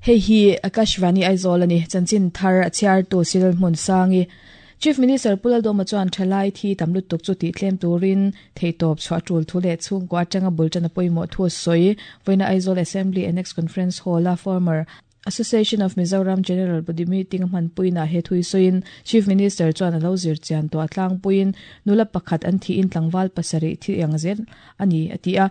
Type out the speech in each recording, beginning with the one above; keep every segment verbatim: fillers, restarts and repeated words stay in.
Hei hi Akashvani Aizawl ani chanchin thar a chhiar tu Cyril Hmunsangi Chief Minister Pu Lalduhoma chuan thalai thi tam lutuk chu tih tlem turin theihtawp chhuah tul thu leh chhungkua atanga bul tan a pawimawh thu a sawi. Vawiina Aizawl Assembly Annex Conference Hall a former Association of Mizoram General Body Meeting a hmanpuinah he thui sawiin Chief Minister chuan a lo zir chian tawh a tlangpuiin nula pakhat an thihin tlangval pasarih thi ang zel a ni a ti a.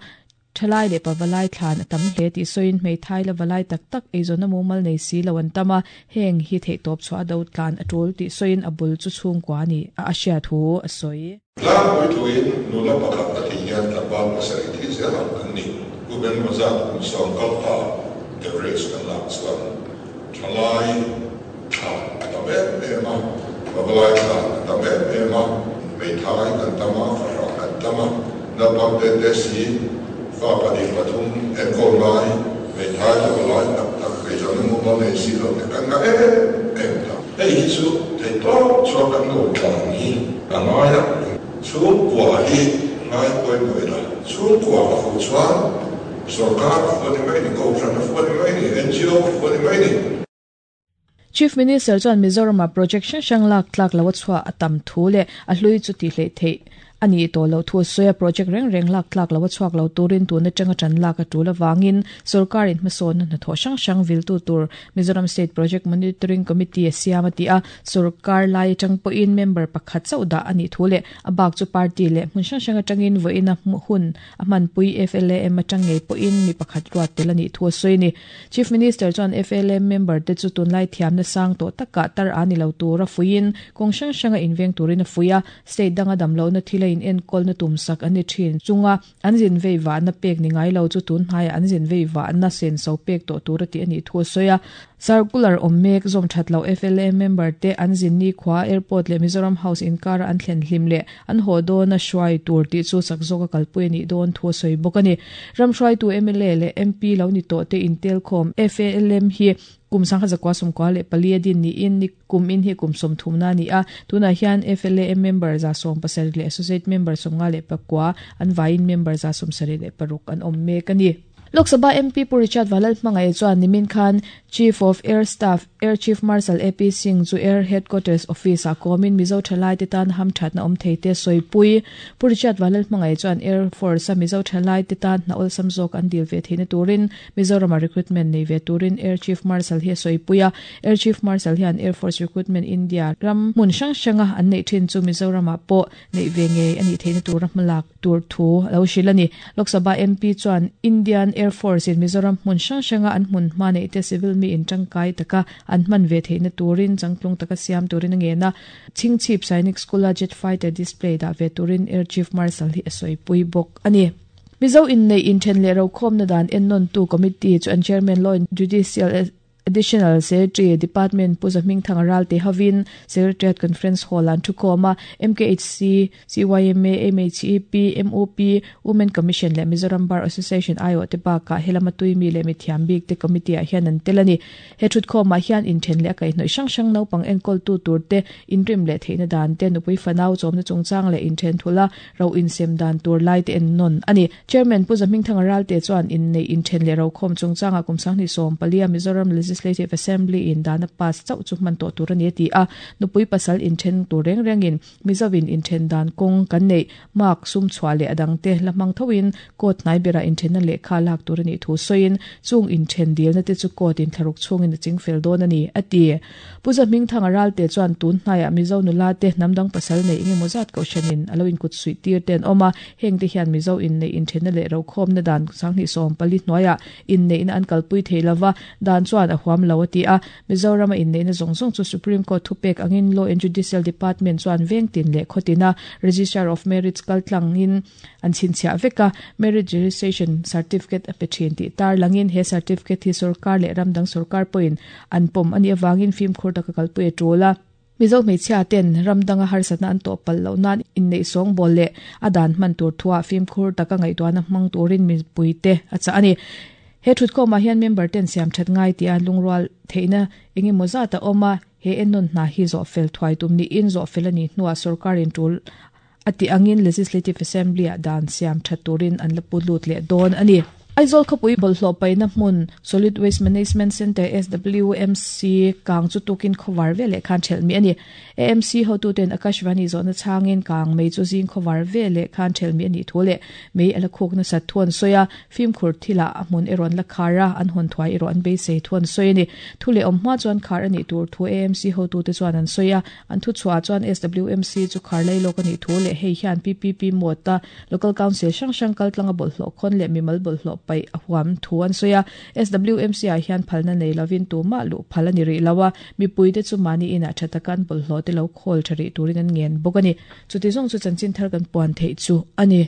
Thalai leh pavalai thlan a tam hle tih sawiin hmeithai la valai tak tak eizawnna mumal nei si lo an tam a, heng hi theihtawp chhuah a do tlan a tul tih sawiin a bul chu chhungkua a ni a a hriat thu a sawi. Tlangpui thuin nula pakhat a thih hian tlangval pasarih thi zel ang an ni. Kum engemaw zat kum sawm kal ta average kan lak chuan thalai thlan a tam em em a, pavalai thlan a tam em em a, hmeithai kan tam a, fahrah kan tam a, naupang te te si fa pahnih pathum enkawl ngai, hmeithai la valai tak tak eizawnna mumal nei si lo te kan ngah em em ta. Hei hi chu theihtawp chhuak kan lo tlan hi a ngai a, chhungkua hi ngai pawimawh ila, chhungkua a fuh chuan sorkar a fuh a ni mai ni, kohhran a fuh a ni mai ni, N G O a fuh a ni mai ni. Chief Minister chuan Mizoram-a project hrang hrang lak tlak lo a chhuah a tam thu leh a hlui chu tih hleih theih a ni tawh lo thu a sawi a, project reng reng lak tlak lo a chhuak lo turin tun atanga tan lak a tul avangin sorkarin hmasawnna hnathawh hrang hrang viltu tur Mizoram State Project Monitoring Committee a siam a ti a, sorkar lai atang pawhin member pakhat chauh dah a nih thu leh a bak chu party leh hmun hrang hrang atangin vawiin a hun a hmanpui F L A M atang ngei pawhin mi pakhat ruat tel a nih thu a sawi a ni. Chief Minister chuan F L A M member te chu tunlai thiamna sang tawh takah tar a ni lo tur a fuiin kawng hrang hranga inveng turin a fui a, state danga damlohna thil a in enkawl na tum sak an ni thin chunga an zin vei vahna pek ni ngai lo chu tun hnaiah an zin vei vahna sen so pek tawh tur a tih a nih thu a sawi a. Circular awm mek zawm that lo F L A member te an zin ni khua airport leh Mizoram House inkara an thlen hlim leh an haw dawn a hruai tur tih chu chak zawk a kalpui a nih dawn thu a sawi bawk a ni. Ram hruaitu M L A leh M P lo ni tawh te intelkhawm F A L M hi kum sangkhat zakua sawmkua leh pali a din niin ni kum in hi kum sawmthumna a ni a, tunah hian F L A M member za sawm pasarih leh associate member sawmnga leh pakua an vaiin member za sawm sarih leh paruk an awm mek a ni. Lok Sabha M P Pu Richard Vanlal Hmangaih chuan nimin khan Chief of Air Staff Air Chief Marshal A P Singh chu Air Headquarters Office ah kawmin Mizo thalai te tan ham thatna awm thei te sawipui. Pu Richard Vanlal Hmangaih chuan Air Force a Mizo thalai te tan hna awlsam zawk an dil ve theihna turin Mizoram-a recruitment nei ve turin Air Chief Marshal hi a sawipui a. Air Chief Marshal hian Air Force Recruitment India ram hmun hrang hranga an neih thin chu Mizoram-ah pawh neih ve ngei a nih theihna tura hmalak tur thu a lo hrilh a ni. Lok Sabha M P chuan Indian Air Force in Mizoram hmun hrang hranga an hmun hma neih te civil mi in tangkai taka an hman ve theihna turin changtlung taka siam turin a ngen a. Chhingchhip Sainik School a jet fighter display dah ve turin Air Chief Marshal hi a sawipui bawk a ni. Mizo in nei inthen leh rokhawmna dan ennawn tu committee chu an chairman Law and Judicial Additional Secretary Department Pu Zahmingthang Ralte hovin Secretariat Conference Hall an thukhawm a, M K H C, C Y M A, M H E P, M O P, Women Commission leh Mizoram Bar Association I O te bakah helama tuimi leh mithiam bik te committee ah hian an tel a ni. He thutkhawmah hian inthen leh a kaihhnawih hrang hrang naupang enkawl tu tur te inrim leh theihna dan te nupui fanau chawmna chungchang leh inthen thula ro insem dan tur lai te ennawn a ni. Chairman Pu Zahmingthang Ralte chuan innei inthen leh rokhawm chungchangah kum sanghnih sawm palia Mizoram Legislative Assembly in dana pass chauh chu hman tawh tur a ni a ti a, nupui pasal inthen tur reng rengin Mizovin inthen dan kawng kan nei mark sum chhuah leh adang te la hmang thoin court hnai berah inthenna lehkha lak tur a nih thu sawiin chung inthen dilna te chu court in thlaruk chhungin a chingfel dawn a ni a ti. Pu Zahmingthang Ralte chuan tun hnaiah Mizo nula te hnamdang pasal nei engemaw zat kohhranin a lo inkut suih tir te an awm a, heng te hian Mizo in nei inthenna leh rokhawmna dan sanghnih sawm pali hnuaiah inneihna an kalpui thei lova dan chuan a huam lo a ti a. Mizoram a inneihna zawng zawng chu Supreme Court thupek angin Law and Judicial Department chuan vengtin leh khawtina Registrar of Marriage kaltlangin an chhinchhiah vek a, Marriage Registration Certificate a pe thin tih tar langin he certificate hi sarkar leh ramdang sarkar pawhin an pawm a nih avangin fimkhur taka kalpui a tul a. Mizo hmeichhia ten ramdanga harsatna an tawh palh loh nan inneih sawng bawl leh a dan hman tur thuah fimkhur taka ngaihtuahna hmang turin mipui te a chah a ni. He thutkhawmah hian member ten siam that ngai tih a lungrual theihna engemaw zat a awm a, he ennawn hna hi zawh fel thuai tum niin zawh fel a nih hnuah sarkarin tul a ti angin Legislative Assembly ah dan siam that turin an la pu lut leh dawn a ni. Aizawl khawpui bawlhhlawh paihna hmun Solid Waste Management Centre SWMC kang chu tukin khawvar veleh khan thelh mi ani. AMC hotuten Akashvani zawhna changin kang mei chu zing khawvar veleh khan thelh mi ani thu leh mei ala khuk na sat thuan soya fimkhur thila a hmun eron la khara an hon thuai ero an beisei thuan soi ani. Thu leh awm hma chuan khar ani tur thu AMC hotute chuan an soya an thu chhuah chuan SWMC chu khar lai lok ani thu leh hei hian PPP mota local council hrang hrang kal tlanga bawlhhlawh khawn leh mimal bawlhhlawh pai ahuam thu an soya SWMC a hian phalna nei lovin tu ma lu phala ni ri lawa mi puite chu mani ina thatakan bawlhhlawh te lo khol thari turin an ngen bawk ani chuti zawng chu chanchin thar kan puan thei chu ani.